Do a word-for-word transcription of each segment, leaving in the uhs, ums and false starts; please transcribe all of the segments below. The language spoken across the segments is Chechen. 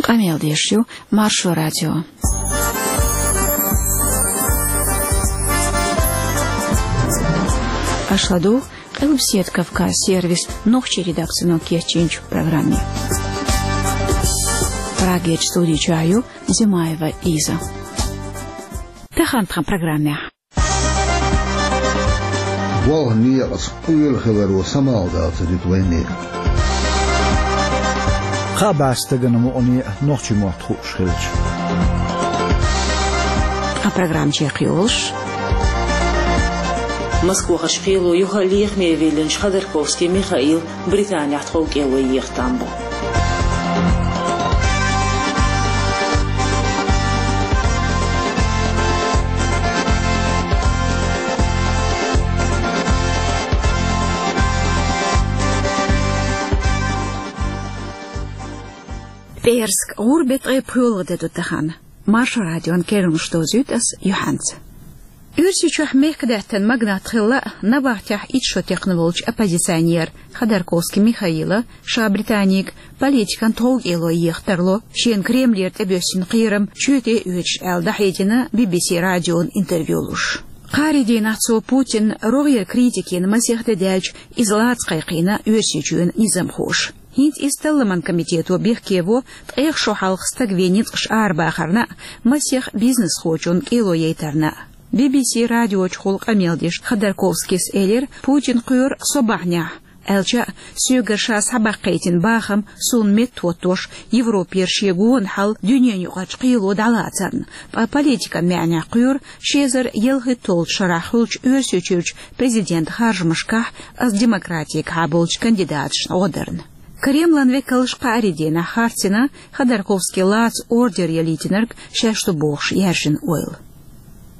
Къамел деш ю Маршо радио. Аша ладугӀу Къилбаседа Кавказ сервисан нохчийн редакцино кечйинчу программе. Прагерчу студи чохь ю Зимаева Лиза. Тахана тхан программехь. Болх некъаца къоьлла хиларо самукъадала ца дуьту вайна. Кхаа бӀе стагана мукъане а нохчийн мотт хууш хилча. Тхан программа чекхйолуш. Москвахарчу кхело юха а лехаме виллинчу Ходорковский Михаила Британехь тхов кӀело еха там бу. ПӀераска гӀуран беттан ткъе пхоьалгӀа де ду тахана. Маршо радион керланаш дозуьйту ас юьхьанца. Оьрсийчохь мехкадаьттан магнат хилла а, набахтехь итт шо текхна волчу оппозиционера Ходорковский Михаила ша Британига политикан тхов кӀело еха тарло, шена Кремлера тӀебоьссина кхерам чоьте а оьцуш, аьлла дӀахьедина Би-Би-Си радион интервью луш. Кхаарин дийнахь цо Путинна рогӀера критика йина масех де даьлча, иза лаца кхайкхийна Оьрсийчоьнан низамхоша. ХӀинца иза Талламан комитето бехке во ткъех шо хьалха стаг вен ницкъаш арабахарна а, масех бизнесхочунна кӀело яйтарна а. Би-Би-Си радиочухула къамел деш Ходорковскийс элира, Путин кхоьру со бахьанехь, аьлча а, соьгара ша схьабаккхийтина бахам суна меттахӀоттош, Европера шен гонахьал дуьненаюкъарчу кхело дӀалацарна, ткъа политикан маьӀнехь кхоьру ши эзар ялхитталгӀачу шарахь хуьлучу Оьрсийчуьрчу президентан харжамашкахь ас демократигахьа болчу кандидаташна гӀо дарна. Кремлан векалша кхаарин дийнахь харцйина Ходорковский лаца ордер ялийтинарг шаьш ду бохуш яьржина ойла.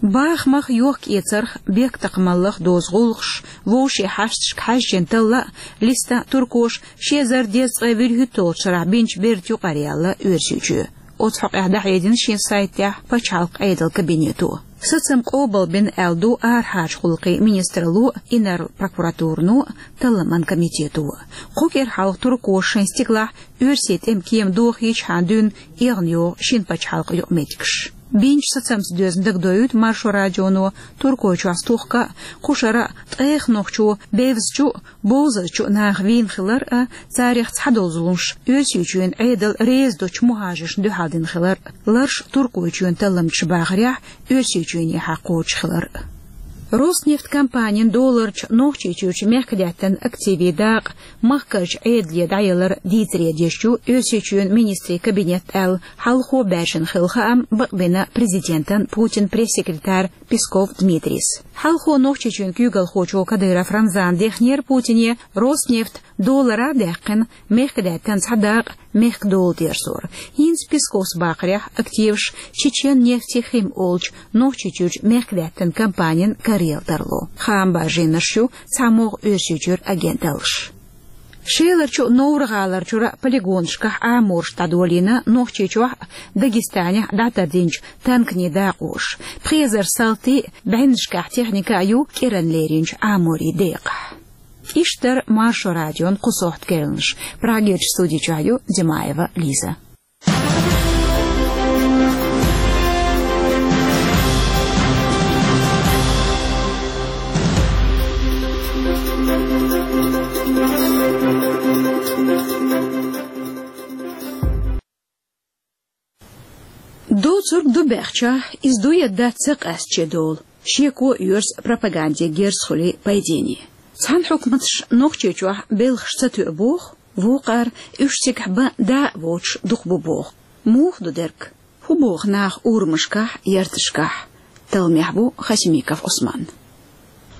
Бахамах, йохк-эцарх, бехктакхамаллах дозу гӀуллакхаш, вовшийн хьашташка хьаьжжина талла а, листа а туркоша ши эзар дезткъе вуьрхӀитталгӀачу шарахь бинчу бертан юкъара яьлла Оьрсийчоь. Оцу хьокъехь дӀахьедина шен сайтехь пачхьалкхан Ӏедалан кабинето. Сацам къобалбина аьлла ду арахьарчу гӀуллакхийн министралло а, инарла прокуратурано а, Талламан комитето а. Кху кӀира хьалха туркоша шайн стигалахь оьрсийн тӀеман кема дохийчхьана дуьйна эгӀна йогӀу шина пачхьалкхан юкъаметтигаш. Бинчу сацамца доьзна дагадоуьйту Маршо радионо, Туркойчохь стухка а, кху шарахь а ткъех нохчо бевзачу а, бовзарчу а наха вийна хилар а, царех цхьадолу зуламаш Оьрсийчоьнан Ӏедал реза долчу мухӀажаршна дуьхьал дина хилар а, ларш Туркойчоьнан талламчаша бахарехь, Оьрсийчоьнехьа кхочуш хилар а. Роснефть компанин долларчу Нохчийчуьрчу мехкадаьттан активийн дакъа махкарчу Ӏедале дӀаялар дийцаре деш ю Оьрсийчоьнан министрийн кабинет аьлла, хьалхо баьржина хилла хаам бакъбина президентан Путинан пресс-секретарь Песков Дмитрийс. Хьалхо Нохчийчоьнан куьйгалхочо Кадыров Рамзана дехнера Путине Роснефть доллара а даьккхина, мехкадаьттан цхьа дакъа мехкан дола терзор. ХӀинца Песковс бахарехь, активаш Чечен нефтехим олучу Нохчийчуьрчу мехкадаьттан компанин карайалла тарло. Хаам баржийнарш ю цхьамогӀа Оьрсийчуьра агенталлаш. Шеларчу а, Невран гӀаларчура а полигонашкахь Ӏамораш дӀадолийна Нохчийчохь а, Дагестанехь а дӀатардинчу танканийн дакъоша. Пхи эзар салти а, бӀеннашкахь техника а ю кӀиранна леринчу Ӏаморийн декъахь. Иштта дара Маршо радион кху сохьта керланаш. Прагерчу студи чохь ю Димаева Лиза. Доцург ду баьхча, иза ду я дац ца къаьстачу долу, шеко оьрса пропаганде герз хуьлий пайдене. Цхьана хьукматаш Нохчийчохь белхаш ца тоьу боху, вукхара уьш цигахь бан да а воцуш дукха бу боху. Муха ду дерг? ХӀун боху наха урамашкахь, ярташкахь? Талламехь ву Хасимиков Ӏусман.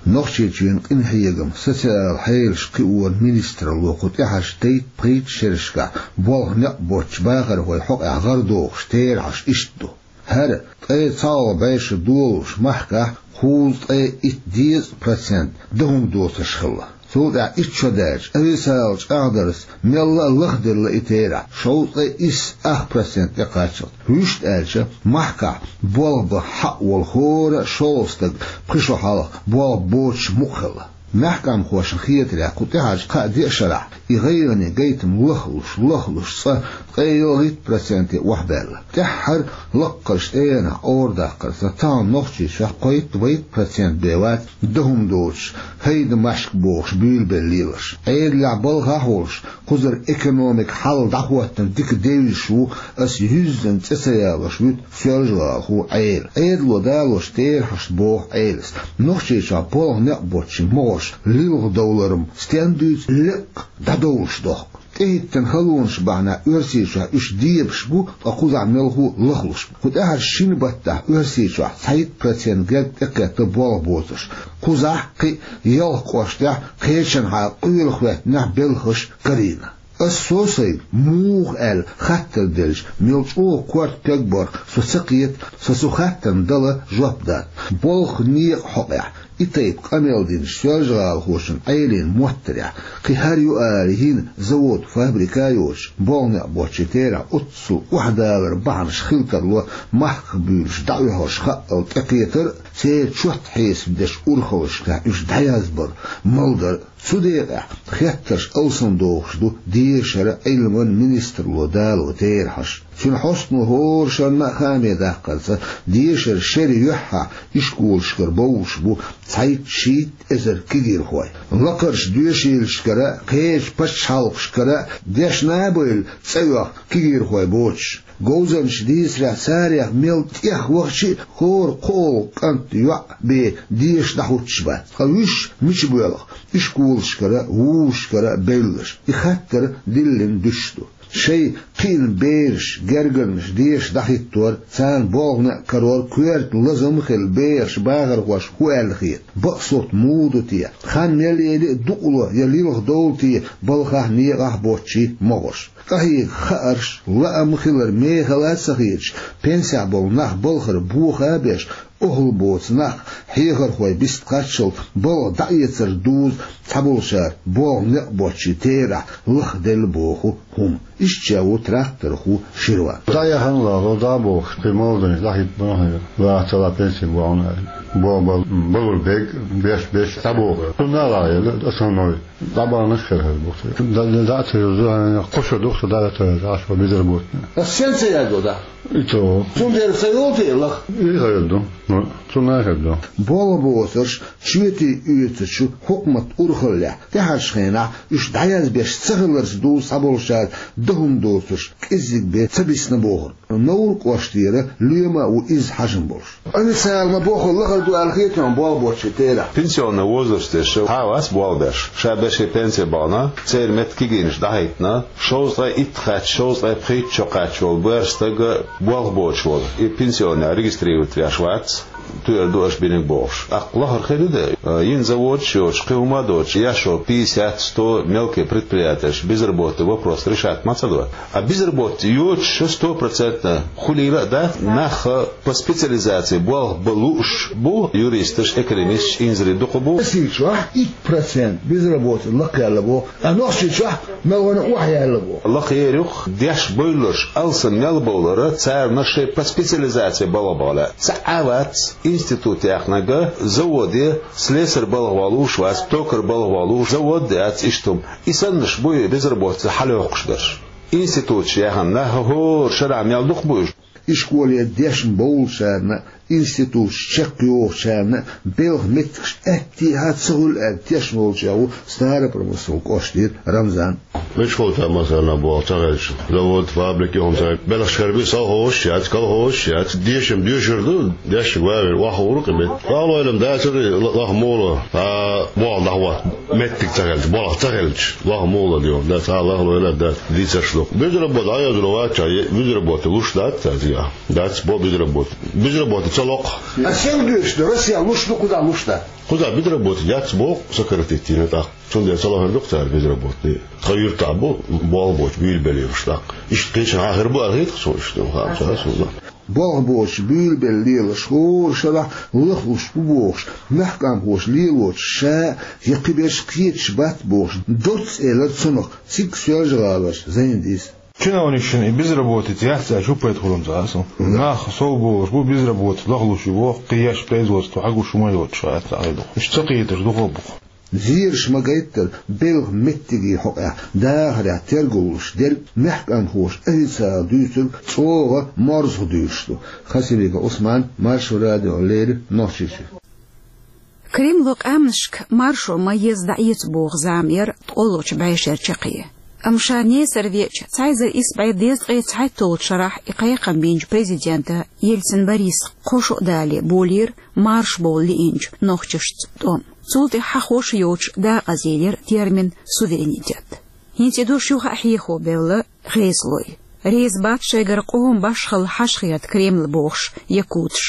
Нохчийчоьнан къинхьегам, социал хьелаш кхиоран министралло кху тӀаьхьарчу дейтта-пхийтта шерашкахь болх некъ боцчу бахархойн хьокъехь гӀарадохуш терахьаш иштта ду. ХӀара ткъе цхьалгӀа бӀе шо долуш махкахь кхузткъе итт дезткъа процент дан хӀума доцурш хилла. Цул тӀаьхьа итт шо даьлча, официалан чӀагӀдарца мелла а лахделла и терахь, шовзткъе исс ах процент тӀекхаччалц. Вуьшта аьлча, махкахь болх бан хьаъ волу хӀора а шолгӀа стаг пхи шо хьалха болх боцуш мукъа хилла. Мехкамхошна хетарехь, кху тӀаьхьарчу кхаа-деа шарахь И гӀайгӀане гайтам лахлуш, лахлуш цкъа ткъе ялхитта проценте охьабаьлла. ТӀаьххьара лакхарчу тӀегӀанах къоврадаккхарца, тахана Нохчийчохь кхойтта-вайтта процент бен вац дан хӀума доцуш, хайдамашка бохуш буьйлабелла лелаш. Ӏедалехь балхахь а волуш, кхузара экономика хьал дӀахӀоттийна дика девзаш ву аса юьззина цӀе ца ялош вуьту Соьлжа-ГӀалахо Ӏела. Ӏедало далош терахьашца боху Ӏелас, Нохчийчохь болх некъ боцчийн могӀарш лилха довлар-м стенна дуьйцу лекха дӀадовлуш дохку. ТӀехӀиттина халонаш бахьанехь Оьрсийчохь уьш дебаш бу, ткъа кхузахь мелхо а лахлуш бу. Кху тӀаьххьарчу шина баттахь Оьрсийчохь цхьайтта процент герга тӀекхетта болх боцурш. Кхузахь, кхин а ялх кӀоштехь, кхечанхьа къоьлла хӀоьттинехь белхаш карийна. Ас сов-сайга муха аьлла хаттар делча, мел чӀогӀа корта пегбарх со ца кхета, со цу хаттарна дала жоп дац. Болх некъа хьокъехь и тайпа къамел динчу Соьлжа-ГӀалахочун Ӏелин моттарехь кхин хӀара ю ала йина завод, фабрика а йоцуш, болх некъ боцчийн терахь оццул охьадалар бахьанаш хила тарло махках буьйлуш дӀаоьхурш хаъал тӀекхетар а, церан чот хьесап дечу урхаллашкахь уьш дӀаязбар, малдар а. Цу декъехь хеттарш алсамдохуш ду дешаран, Ӏилман министралло дало терахьаш. Цуьнан хьостано хӀора шарна а хааме даккхарца, дешаран шеран юьххьехь ишколашкара бовлуш бу цхьайтта-шийтта эзар кегийрхой. Лакхарчу доьшийлашкара а, кхечу пачхьалкхашкара а дешна а бевлла, цӀа оьху кегийрхой боцуш. Говзанчаша дийцарехь, царех мел тӀех вахча а хӀора кхоалгӀа кӀант, йоӀ бен деша дӀахӀуттуш бац. Ткъа уьш мича боьлху ишколашкара а, вузашкара а бевлларш? И хаттар диллина дуьсуш ду. Шайн кхиъна бераш, гергарнаш деша дӀахӀиттор, царна болх некъ карор коьрта лазам а хилла, бехаш, бахархошка хӀун аьлла хета? Бакъ сутта муха ду те? Хан мел яьлча а дукъало я лилха довла те балхахь, некъахь боцчийн могӀарш? Къахьега хаарш, лаам хилар мехала а ца хеташ, пенсехь болу нах балхара боха а беш, охьалла боцу нах, хьехархой бист кхаччалц балха дӀаэцар дузу цхьаболчара болх некъ боцчийн терахь лахделла боху хӀума. Иштта ву тракторхо Ширван. ДӀаяхьна лало, дӀа а бохуш, кхин молодой дӀахӀиттина хьуна, лаахь ца лаахь пенси бохьуна аьлла. Боху бал-, балур бег, беш, беш, дӀабоху. Цунна а лахьа елла, основной. ДӀабаханаш хир хир бу. Да, да, да, ца юзу, кхо шо ду-кх со дӀа а ца юзу, Ӏаш ван безработный. Ас сен ца яздо, да? И то. Цундела ца йолу те лаха? И хир ду. Ну, цунна а хир ду. Болх боцурш чоьте оьцучу хьукмат урхаллехь, тӀаьхьарчу хенахь уьш дӀаязбеш ца хиларца дузу цхьаболчара дан хӀума доцурш кӀеззиг бен ца бисна бохург. Новр кӀоштера лоьма а ву иза хьажам болуш. Официально бохург лахара ду аьлла хета хьуна болх боцчийн терахь? Пенсионный возраст деш схьа а вац болх беш. Ша берш пенсе бахана, церан метта кегийнаш дӀахӀиттина, шовзткъе итт кхаьчча, шовзткъе пхийтта шо кхаьчча волу боьрша стаг болх боцуш волу. И пенсионный регистрировать веш вац, туьйр ду аша бинарг бохуш. ТӀаккха лахара хир ду де, йина заводаш йоцуш, кхин хӀума а доцуш, еш йолу пятьдесят, сто мелкий предприятиеш безработный вопрос решать ма ца до. А безработный йоцуш шу сто процентно хуьлийла а дац, нах по специализации болх бан лууш бу, юристаш, экономисташ, инзаре дукха бу. Оьрсийчохь итт процент безработный лакхаелла боху, а Нохчийчохь мел вана охьаяьлла боху. Лакхаяр юкъ деш бевлларш алсам мел бовлара, царна шайн по специализации балха бахьа лаьа. Цхьа а вац институт яхнарг, заводе слесарь балха ван лууш вац, токарь балха ван лууш, завод а яц, иштта хӀума. И саннарш бу и безработица хьалайоккхуш берш. Институташ яьхна нах хӀора шарахь мел дукха бу уьш. Ишколе дешна бовлучарна, институташ чекхйохучарна белхан меттигаш аьттехьа ца хуьлу аьлла тешна волчех ву Старопромысловски кӀоштера Рамзан. Мичахь ца масарна болх ца хезча, завод, фабрика юхана ца, белхаш хир бу, совхозаш яц, колхозаш яц, дешам доьшур ду, дешнаш ван вер, охьахуур ду кхин метта. Валлахь, лам дацара, лаха мула, а, болх дӀахӀотта меттиг ца хилча, болх ца хилча, лаха мула ду, да, цхьа лаха лойла, да, дийцарш ду. Безработный Ӏоьзур вац, безработный луш дац цаьрга. Дац бо безработный. Безработный ца локху. А сенга дуьйцуш ду, Россия луш ду, кхузахь луш дац? Кхузахь безработный яц боху, сократить йина тӀаккха. Цундела ца лахара ду-кх цара безработный. Тхан юьртахь бу болх боцуш буьйлабелла лелаш тӀаккха. Иштта кхечанхьа хир бу аьлла хета-кх суна, иштта хаа ца суна. Болх боцуш буьйлабелла лелаш хӀора шарахь лахлуш бу бохуш, мехкан бохуш лелочух ша я кхиберш кхеташ бац бохуш, доцца элира цунах цига Соьлжа-ГӀалара Зайндис. Чиновникашна и безработица яц аьлча, хӀун пайда хуьлу-м цара аса? Нах сов болуш бу, безработица лахлуш ю боху, кхин еш производство хьагуш хӀума йоцуш ша аьлла ца Ӏайдоху. Уьш ца кхеташ дукха а бу-кх. Зераш ма гайттара, белхан меттиге хьокъехь дахарехь тергаллуш дерг мехканхоша официала дуьйцург чӀогӀа морзах дуьйцуш ду. Хасимиков Ӏусман, Маршо радио, леррина Нохчийчуьра. Кремло къаьмнашка маршо ма еза дӀаэца боху зама яра ткъолгӀачу бӀешерчу чаккхе. Амма ша несар веача, цхьа эзар исс бӀе дезткъе цхьайтталгӀачу шарахь и кхайкхам бинчу президента Ельцин Бориса кхо шо а далале болийра маршо бовла лиъначу нохчашца тӀом. Цул тӀаьхьа хьахош йоцуш дакъазъелира термин суверенитет. ХӀинца и дош юха а хьехо бевлла ГӀезалой. Реза бац шайгара къоман башхалла хьажа хета Кремль бохуш якуташ.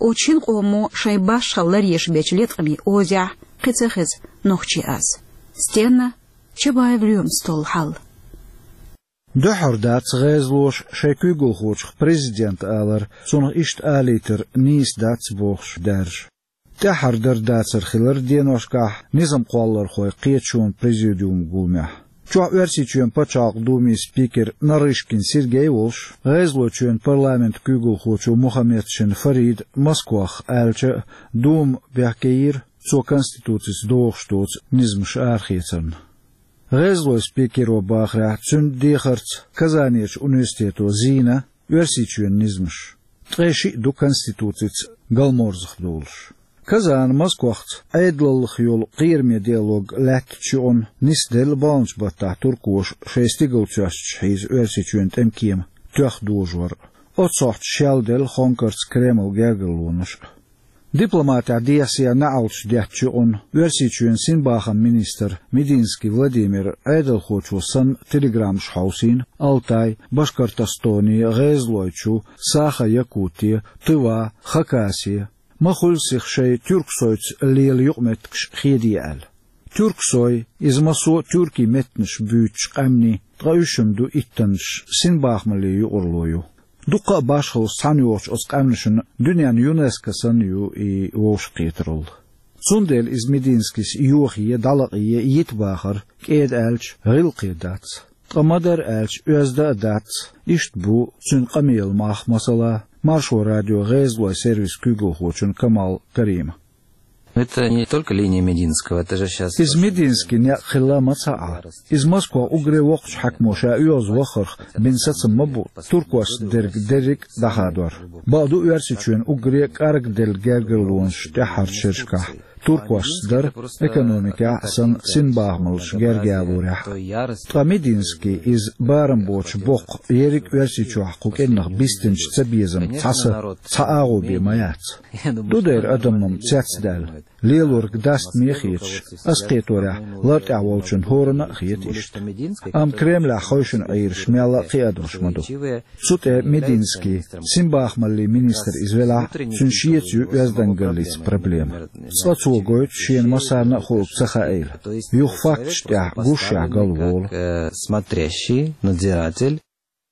Оцу шина къомо шайн башхалла ларъеш бечу леткъамийн озехь кхин ца хеза нохчи аз. Стенна Чабаев Лоьмас толлу хьал. Дуьххьара дац гӀезалоша шайн куьйгалхочух президента алар, цунах иштта алийтар нийса дац бохуш даьржа. ТӀаьххьара дар дацар хилар деношкахь низам кхоллархойн кхеташонан президиуман гуламехь. Чохь Оьрсийчоьнан пачхьалкхан думин спикер Нарышкин Сергей волуш, ГӀезалойчоьнан парламентан куьйгалхочо Мухаммедшин Фарида Москвахь аьлча а, дума бехкейира цо конституцица догӀуш доцу низамаш арахецарна. ГӀезалойн спикеро бахарехь, цуьнан дехарца Казанерчу университето зийна Оьрсийчоьнан низамаш. Ткъе шиъ ду конституцица галморзах долуш. Казана Москвахца Ӏедалаллах йолу кхераме диалог лаьттачу юкъана нисделла баханчу баттахь туркоша шайн стигалцоьстачу хьийза Оьрсийчоьнан тӀемкема тоьхна дожор. Оццу хьокъехь шелделла хонкарца Кремлан гергарлонаш а. Дипломатехь дехсехь неӀалташ деттачу юкъана Оьрсийчоьнан синбахаман министр Мединский Владимир Ӏедалхочо санна телеграммаш хьовсийна Алтай, Башкортостоне, ГӀезалойчу, Саха-Якуте, Тыва, Хакасе, ма хуьлда сиха шайн Тюрксойца лела юкъаметтигаш хеде аьлла. Тюрксой, иза массо а тюркийн меттанаш буьйцучу къаьмнийн, ткъа уьш-м ду иттаннаш, синбахамаллин юкъарло ю. Дуккха а башхаллаш цхьаьна йогӀучу оцу къаьмнашна дуьненан ЮНЕСКО санна ю и вовшахкхетаралла. Цундела иза Мединскис йохае, дӀалакъае йита бахар, кӀеда аьлча, гӀиллакхе дац. Ткъа ма-дарра аьлча, оьзда а дац, иштта бу цуьнан къамелан мах, масала, Маршо радион ГӀезалойн сервисан куьйгалхочун Камал Кариман. Это не только линия Мединского, это же щас... Иза Мединскин некъ хилла ма ца Ӏа. Иза Москвахь уггаре воккхачу хьаькамо ша оьгӀаз вахарх бина сацам ма бу туркошца дерг дерриг а дӀахадор. Бакъду, Оьрсийчоьнан уггаре а кӀаргделла гергарлонаш тӀаьххьарчу шерашкахь туркошца дара, экономикехь а санна, синбахамаллаш герга ялорехь а. Ткъа Мединский иза барам боцуш боккху, ерриг Оьрсийчохь кху кӀирнах бистинчу цабезаман цхьа са, цхьа агӀо бен ма яц. Ду дера адамна-м цецдаьлла, лелорг даста ма хеташ, ас кхеторехь, лартӀехь волчун хӀоранна а хета иштта. Амма Кремлехь хевшина Ӏийраш мелла а кхин адамаш ма ду. Цу тӀе Мединский, синбахамаллин министр иза велахь а, цуьнан шеца ю оьздангаллица проблема. Цкъа цо гойту шена массарна а хуург ца хаийла. Юха факташ тӀехь гушшехь галволу. Как, э, смотрящий, надзиратель.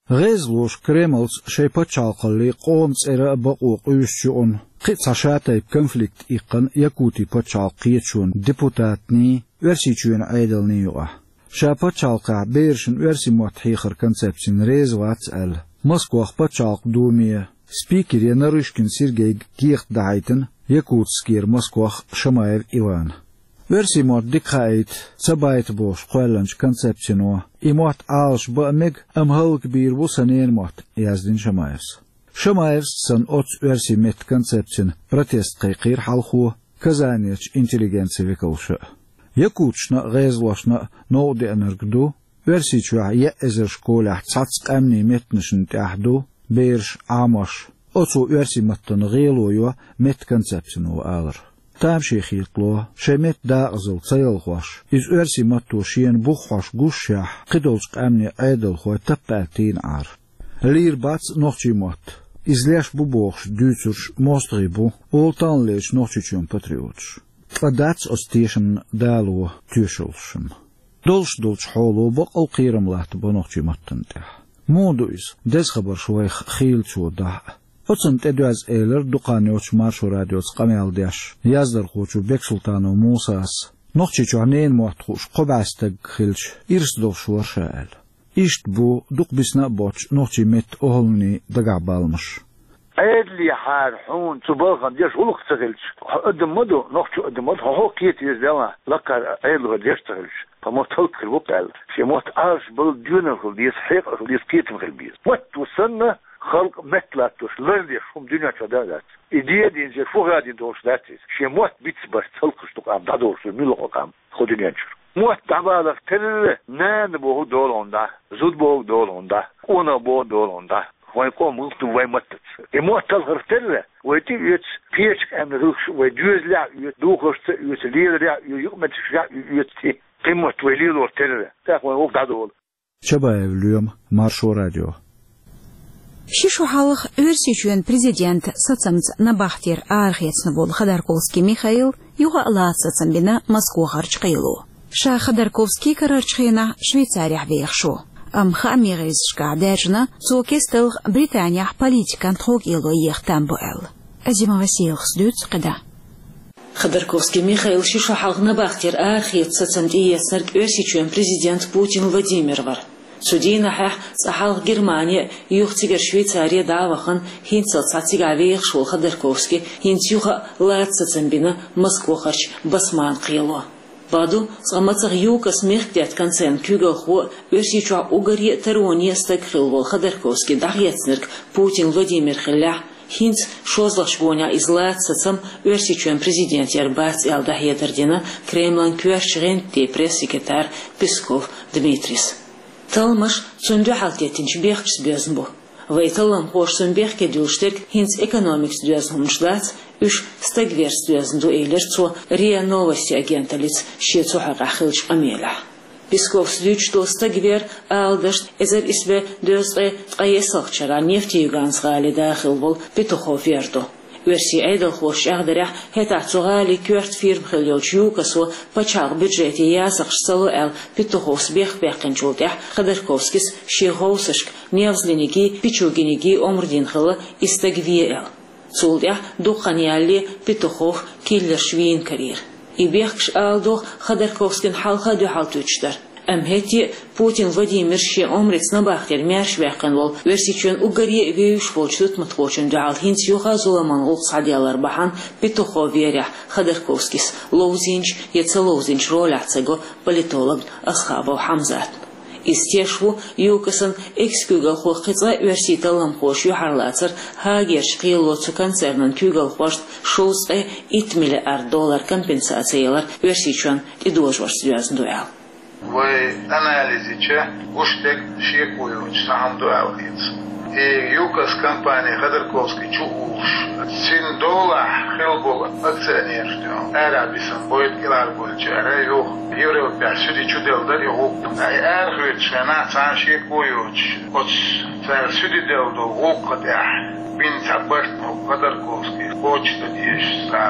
ГӀезалоша Кремлца шайн пачхьалкхаллин, къоман цӀеран а бакъо къуьйсучу юкъана, кхин а цхьа шатайпа конфликт иккхина Якутин пачхьалкхан кхеташонан депутатний, Оьрсийчоьнан Ӏедалний юкъахь. Ша пачхьалкхехь берашна оьрсийн мотт хьехаран концепцина реза вац аьлла, Москвахь пачхьалкхан думе спикере Нарышкин Сергейга кехат дахьийтина Якутскера Москвахь Шамаев Ивана. Оьрсийн мотт дика хаийта, ца байта бохуш кхоьллинчу концепцино, и мотт Ӏалашбан а мега, амма хӀаллакбийр бу сан ненан мотт, яздина Шамаевс. Шамаевс санна, оццу оьрсийн меттан концепцина протест кхайкхийра хьалхо Казанерчу интеллигенцин векалша а. Якуташна а, гӀезалошна а новкъа деанарг ду, Оьрсийчохь еа эзар школехь цхьацца къаьмнийн меттанашна тӀехь ду бераш, Ӏамош, оцо оьрсийн маттана гӀело йо меттан концепцино алар. Тамашийна хетало, шайн меттан дакъазалла ца ялхош, иза оьрсийн матто шена бух хьош гушшехь, кхидолчу къаьмнийн Ӏедалхой таппа аьлла тийна Ӏара. Лийр бац нохчийн мотт, иза леш бу бохуш дуьйцурш мостагӀий бу, олу таханлерчу Нохчийчоьнан патриоташ. Ткъа дац оцу тешамна дало тоьшаллаш-м. Долуш долчу хьоло бакъал кхерам латтабо нохчийн маттана тӀехь. Муха ду иза, деза хабарш вайх хийлачо дахь а? Оцунна тӀедоьзна элира дукха хан йоццуш Маршо радиоца къамел деш яздархочо Бексултанов Мусас, Нохчийчохь ненан мотт хууш кхо бӀе стаг хилча, ирс долуш вара ша аьлла. Иштта бу дукха бисна а боццуш нохчийн меттан охӀланийн дагахь баламаш. Ӏедалехьара хьуна цу балхана деш гӀулакх ца хилча, хьо адам ма ду, нохчо адам ма ду, хьо хьо кхета веза Далла, лакхара Ӏедало деш ца хилча, тха мотт хӀаллакхир бу-кх аьлла. Шен мотт Ӏалашбала доьналла хила деза, хьекъал хила деза, кхетам хила беза. Мотт ву санна, халкъ метталаттош, лардеш хӀума дуьнен чу да а дац. И де а динча, фу хадийна долуш дац иза. Шен мотт бицбарца хӀаллакхаш ду къам, дӀадолуш ду муьлхха къам кху дуьнен чуьра. Мотт дӀабаларх терра, нана бохург долу хьуна дӀа, зуда бохург долу хьуна дӀа, къонах бохург долу хьуна дӀа. Вайн къоман гӀуллакх ду вайн маттаца. И мотт талхарх терра, вай тӀеоьцу, кхечу къаьмнийн гӀиллакхаш вай доьзалехь а оьцу, духаршца а оьцу, леларехь а оьцу, юкъаметтигашкахь а оьцу цӀе. Кхин мотт вай лелор терра, тӀаккха вайн вовх дӀадолу. Чабаев Лоьма, Маршо радио. Ши шо хьалха Оьрсийчоьнан президентан сацамца набахтера арахецна волу Ходорковский Михаил юха а лаца сацам бина Москвахарчу кхело. Ша Ходорковский карарчу хенахь Швейцарехь вехаш ву. Амма хаамийн гӀирсашкахь даьржина, цо кесталгӀа Британехь политикан тховкӀело еха там бу аьлла. Азимова Селхас дуьйцу кхидӀа. Ходорковский Михаил ши шо хьалха набахтера арахеца сацам тӀеэцнарг Оьрсийчоьнан президент Путин Владимир вара. Цу дийнахьехь цкъа хьалха Германе а, юха цигара Швейцаре дӀа а вахана, хӀинццалц цхьа цигахь вехаш волу Ходорковский хӀинца юха а лаца сацам бина Москвахарчу Басманн кхело. Бакъду, цкъа мацах ЮКОС мехкдаьтта концернан куьйгалхо а, Оьрсийчохь уггаре а тароне а стаг хилла волу Ходорковский дӀахецнарг Путин Владимир хиллехь, хӀинца шозлагӀчу гонехь иза лаца сацам Оьрсийчоьнан президент яр бац аьлла дӀахьедар дина Кремлан коьртачу гӀантден пресс-секретара Песков Дмитрийс. Талламаш цунна дуьхьал теттинчу бехкашца доьзна бу. Вайн талламхоша цунна бехке дуьллуш дерг хӀинца экономикаца доьзна хӀуманаш дац, уьш стаг верца доьзна ду, элира цо РИА Новости агенталлица шен цу хьокъехь хиллачу къамелехь. Песковс дуьйцуш долу стаг вер, ала дашна, эзар исс бӀе дезткъе ткъаесналгӀачу шарахь Нефтеюганскан гӀалин да хилла волу Петухов вер ду. Оьрсийн Ӏедалхоша чӀагӀдарехь, хӀетахь цу гӀалин коьрта фирма хилла йолчу ЮКОСо пачхьалкхан бюджете ясакхаш ца ло аьлла, Петуховс бехк баьккхинчул тӀаьхьа Ходорковскийс шен хьовсаршка Невзлинигий, Пичугинигий омра дина хилла и стаг ве аьлла. Цул тӀаьхьа дукха хан ялале Петухов килларш вийна карийра. И бехкаш, ала догӀу, Ходорковскийна хьалха а дуьхьал туьттуш дара. Амма хӀетте а Путин Владимира шен омрица набахтера маьрша ваьккхина волу, Оьрсийчоьнан уггаре а вевзаш волчу тутматхочунна дуьхьал хӀинца юха а зуламан гӀуллакх схьаделлар бахьана Петухов верехь Ходорковскийс ловзийначу я ца ловзийначу ролехь ца го политолог Асхабов Хьамзатна. Иза теш ву ЮКОСан экс-куьйгалхо кхин цкъа а оьрсийн талламхоша юьхьарлацар Гаагерчу кхело цу концернан куьйгалхошна шовзткъе итт миллиард доллар компенсаци ялар Оьрсийчоьнна тӀедожорца доьзна ду аьлла. Вай анализ йича, гуш дерг шеко йоцуш цхьа хӀума ду аьлла хета. И ЮКОС компани Ходорковский чу уллуш, цуьнан долахь хилла болу акционераш дуьйна арахь бисина бойта кӀелхьарбовлучара юха Европехь суьде чу делла дара и гӀуллакх. Ткъа и арахоьцуш хенахь цхьа а шеко йоцуш, оцу цара суьде делла долу гӀуллакха тӀехь бина цхьа барт ма Ходорковский кхочушдан дезаш цхьа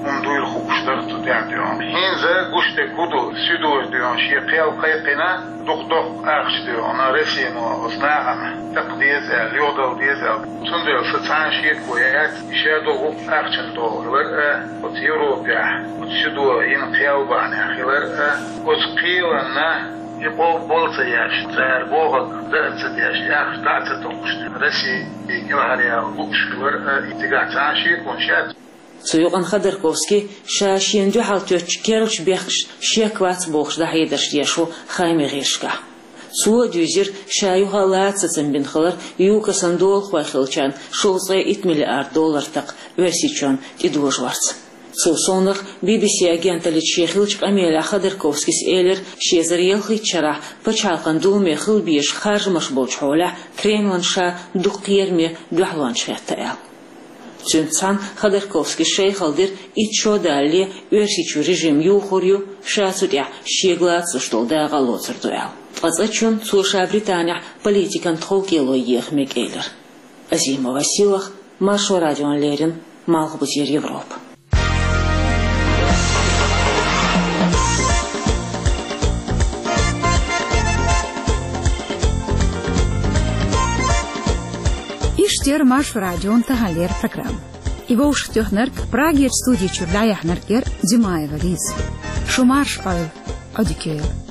хӀума дуйла хууш дара цу тӀехь дуьйна. ХӀинца гуш дерг хӀун ду, суьдо дуьйна шен кхел кхайкхина, дукха доккха ахча дуьйна Россино оцу нахана такха деза аьлла, юхадала деза аьлла. Цундела сан цхьа а шеко яц, и шадолу гӀуллакх ахчана догӀу хилар а, оцу Европехь, оцу суьдо йина кхел бахьанехь хилар а, оцу кхеланна и къобал ца еш, цара бохург дан а ца деш, и ахча дӀа а ца токхуш, Россия кӀелхьаръяла лууш хилар а, и цигахь цхьа а шеконаш яц. Цу юкъана Ходорковский ша шена дуьхьал тоьттучу керлачу бехкашна шек вац бохуш дӀахьедарш деш ву хаамийн гӀирсашкахь. Цо а дуьйзира, ша юха а лаца сацам бина хилар ЮКОСан долахой хиллачарна шовзткъе итт миллиард доллар такха Оьрсийчоьнна тӀедожорца. Цул совнаха Би Би Си агенталлица шен хиллачу къамелехь Ходорковскийс элира, ши эзар ялхиттачу шарахь Пачхьалкхан Думе хила безаш харжамаш болчу хьолехь Кремлан ша дукха кхераме дуьхьалончаш хетта аьлла. Цуьнца цхьаьна Ходорковскийс шайхалла дира, итт шо далале Оьрсийчуьра режим юхур ю, ша цу тӀехь шега лацалуш долу дакъа а лоцур ду аьлла. Ткъа цкъачунна цо ша Британехь политикан тховкӀело еха мега элира. Азимова Силах, Маршо радиона леррина, Малхбузера Европа. Иштта яра Маршо радион таханлера программа. И вовшахтоьхнарг, Прагерчу студи чуьра дӀаяьхьнарг яра Димаева Лиза. Шу марша Ӏойла, Ӏодика йойла.